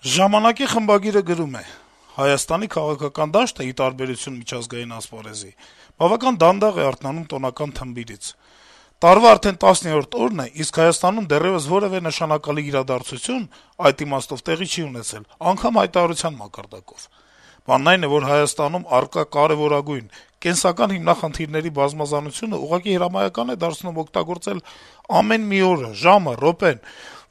Ժամանակի խմբագիրը գրում է. - «Հայաստանի քաղաքական դաշտը, ի տարբերություն միջազգային ասպարեզի, բավական դանդաղ է արթնանում տոնական թմբիրից: Տարվա արդեն 10-րդ օրն է, իսկ Հայաստանում դեռեւս որեւէ նշանակալի իրադարձություն այդ իմաստով տեղի չի ունեցել, անգամ հայտարարության մակարդակով: Բանն այն է, որ Հայաստանում առկա կարեւորագույն, կենսական հիմնախնդիրների բազմազանությունը ուղղակի հրամայական է դարձնում օգտագործել ամեն մի օրը, ժամը, րոպեն,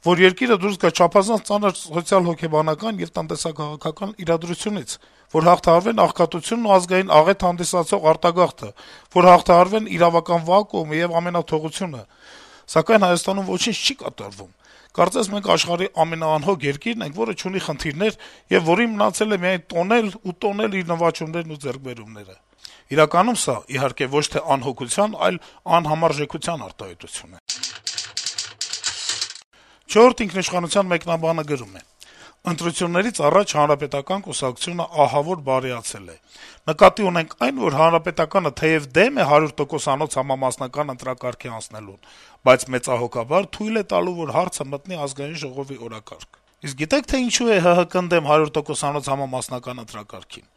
որ երկիրը դուրս գա չափազանց ծանր սոցիալ-հոգեբանական եւ տնտեսա-քաղաքական իրադրությունից, որ հաղթահարվեն աղքատությունն ու ազգային աղետ հանդիսացող արտագաղթը, որ հաղթահարվեն իրավական վակուումը եւ ամենաթողությունը: Սակայն Հայաստանում ոչինչ չի կատարվում: Կարծես մենք աշխարհի ամենաանհոգ երկիրն ենք, որը չունի խնդիրներ եւ որին մնացել է միայն տոնել ու տոնել իր նվաճումներն ու ձեռքբերումները: Իրականում սա, իհարկե, ոչ թե անհոգության, այլ անհամարժեքության արտահայտություն է»: «Չորրորդ ինքնիշխանության» մեկնաբանը գրում է. - «Ընտրություններից առաջ Հանրապետական կուսակցությունը ահավոր բարեացել է: Նկատի ունենք այն, որ Հանրապետականը թեեւ դեմ է 100%-անոց համամասնական ընտրակարգի անցնելուն, բայց մեծահոգաբար թույլ է տալու, որ հարցը մտնի Ազգային ժողովի օրակարգ: Իսկ գիտե՞ք, թե ինչու է ՀՀԿ-ն դեմ 100%-անոց համամասնական ընտրակարգին: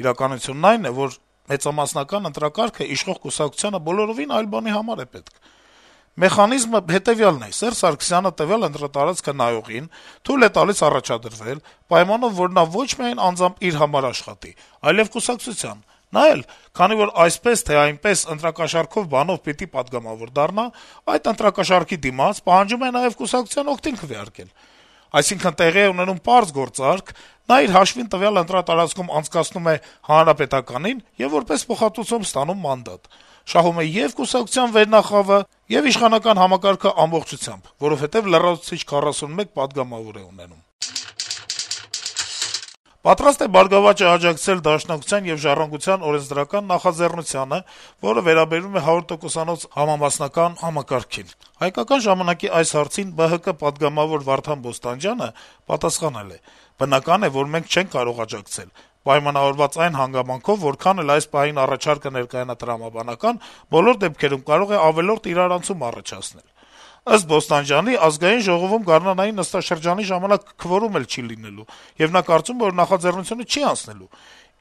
Իրականությունն այն է, որ մեծամասնական ընտրակարգը իշխող կուսակցությանը բոլորովին այլ բանի համար է պետք: Մեխանիզմը հետեւյալն է. Սերժ Սարգսյանը տվյալ ընտրատարածքը նայողին թույլ է տալիս առաջադրվել, պայմանով, որ նա ոչ միայն անձամբ իր համար աշխատի, այլեւ կուսակցության: Նա էլ, քանի որ այսպես թե այնպես ընտրակաշառքով բանով պիտի պատգամավոր դառնա, այդ ընտրակաշառքի դիմաց պահանջում է նաեւ կուսակցության օգտին քվեարկել: Այսինքն` տեղի է ունենում պարզ գործարք. նա իր հաշվին տվյալ ընտրատարածքում անցկացնում է Հանրապետականին եւ որպես փոխհատուցում ստանում մանդատ: Շահում է ե'ւ կուսակցության վերնախավը, ե'ւ իշխանական համակարգը ամբողջությամբ, որովհետեւ լրացուցիչ 41 պատգամավոր է ունենում»: Պատրաստ է «Բարգավաճ»-ը աջակցել Դաշնակցության եւ «Ժառանգության» օրենսդրական նախաձեռնությանը, որը վերաբերում է 100%-անոց համամասնական համակարգին: «Հայկական ժամանակ»-ի այս հարցին ԲՀԿ պատգամավոր Վարդան Բոստանջյանը պատասխանել է. - «Բնական է, որ մենք չենք կարող աջակցել, պայմանավորված այն հանգամանքով, որքան էլ այս պահին առաջարկը ներկայանա տրամաբանական, բոլոր դեպքերում կարող է ավելորդ իրարանցում առաջացնել: Ըստ Բոստանջյանի, Ազգային ժողովում գարնանային նստաշրջանի ժամանակ քվորում էլ չի լինելու, եւ նա կարծում է, որ նախաձեռնությունը չի անցնելու: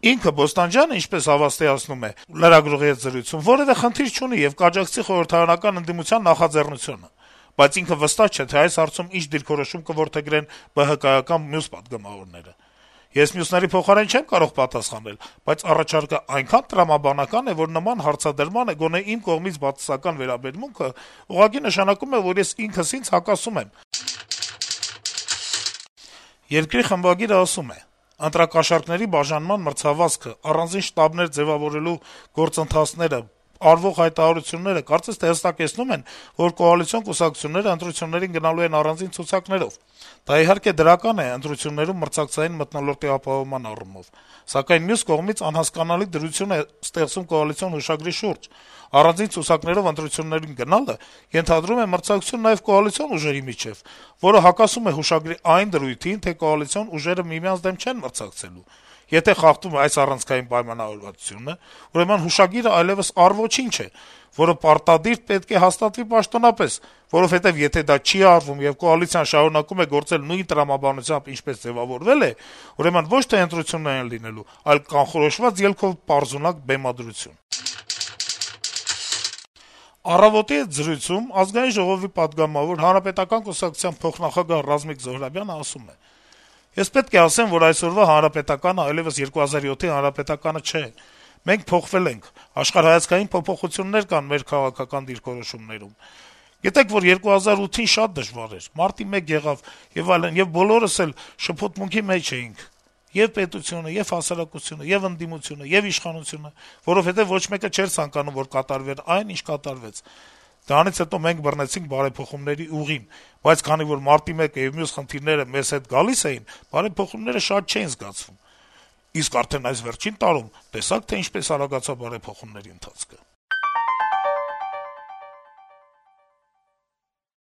Ինքը` Բոստանջյանը, ինչպես հավաստիացնում է լրագրողի հետ զրույցում, որեւէ խնդիր չունի եւ կաջակցի խորհրդարանական ընդդիմության նախաձեռնությանը: Բայց ինքը վստահ չէ, թե այս հարցում ինչ դիրքորոշում կորդեգրեն ԲՀԿ-ական մյուս պատգամավորները: Ես մյուսների փոխարեն չեմ կարող պատասխանել, բայց առաջարկը այնքան տրամաբանական է, որ նման հարցադրմանը գոնե իմ կողմից բացասական վերաբերմունքը ուղղակի նշանակում է, որ ես ինքս ինձ հակասում եմ»: «Երկիր» խմբագիրը ասում է. - «Ընտրակաշառքների բաժանման մրցավազքը, առանձին շտաբներ ձեւավորելու գործընթացները, արվող հայտարարությունները կարծես թե հստակեցնում են, որ կոալիցիոն կուսակցությունները ընտրություններին գնալու են առանձին ցուցակներով: Դա, իհարկե, դրական է ընտրություններում մրցակցային մթնոլորտի ապահովման առումով: Սակայն մյուս կողմից անհասկանալի դրություն է ստեղծում կոալիցիոն հուշագրի շուրջ: Առանձին ցուցակներով ընտրություններին գնալը ենթադրում է մրցակցություն նաեւ կոալիցիոն ուժերի միջեւ, որը հակասում է հուշագրի այն դրույթին, թե կոալիցիոն ուժերը միմյանց դեմ չեն մրցակցելու: Եթե խախտվում է այս առանցքային պայմանավորվածությունը, ուրեմն հուշագիրը այլեւս առ-ոչինչ է, որը պարտադիր պետք է հաստատվի պաշտոնապես, որովհետեւ եթե դա չի արվում, եւ կոալիցիան շարունակում է գործել նույն տրամաբանությամբ, ինչպես ձեւավորվել է, ուրեմն ոչ թե ընտրություններ են լինելու, այլ կանխորոշված ելքով պարզունակ բեմադրություն»: «Առավոտ»-ի հետ զրույցում Ազգային ժողովի պատգամավոր, Հանրապետական կուսակցության փոխնախագահ Ռազմիկ Զոհրաբյանը ասում է. - «Ես պետք է ասեմ, որ այսօրվա Հանրապետականը այլեւս 2007-ի Հանրապետականը չէ: Մենք փոխվել ենք, աշխարհայացքային փոփոխություններ կան մեր քաղաքական դիրքորոշումներում: Գիտեք, որ 2008-ին շատ դժվար էր, մարտի 1 եղավ եւ այլն, եւ բոլորս էլ շփոթմունքի մեջ էինք, ե'ւ պետությունը, ե'ւ հասարակությունը, ե'ւ ընդդիմությունը, ե'ւ իշխանությունը, որովհետեւ ոչ մեկը չէր ցանկանում, որ կատարվեր այն, ինչ կատարվեց: Դրանից հետո մենք բռնեցինք բարեփոխումների ուղին, բայց քանի որ մարտի 1-ը եւ մյուս խնդիրները մեզ հետ գալիս էին, բարեփոխումները շատ չէին զգացվում: Իսկ արդեն այս վերջին տարում տեսա՞ք, թե ինչպես արագացավ բարեփոխումների ընթացքը»: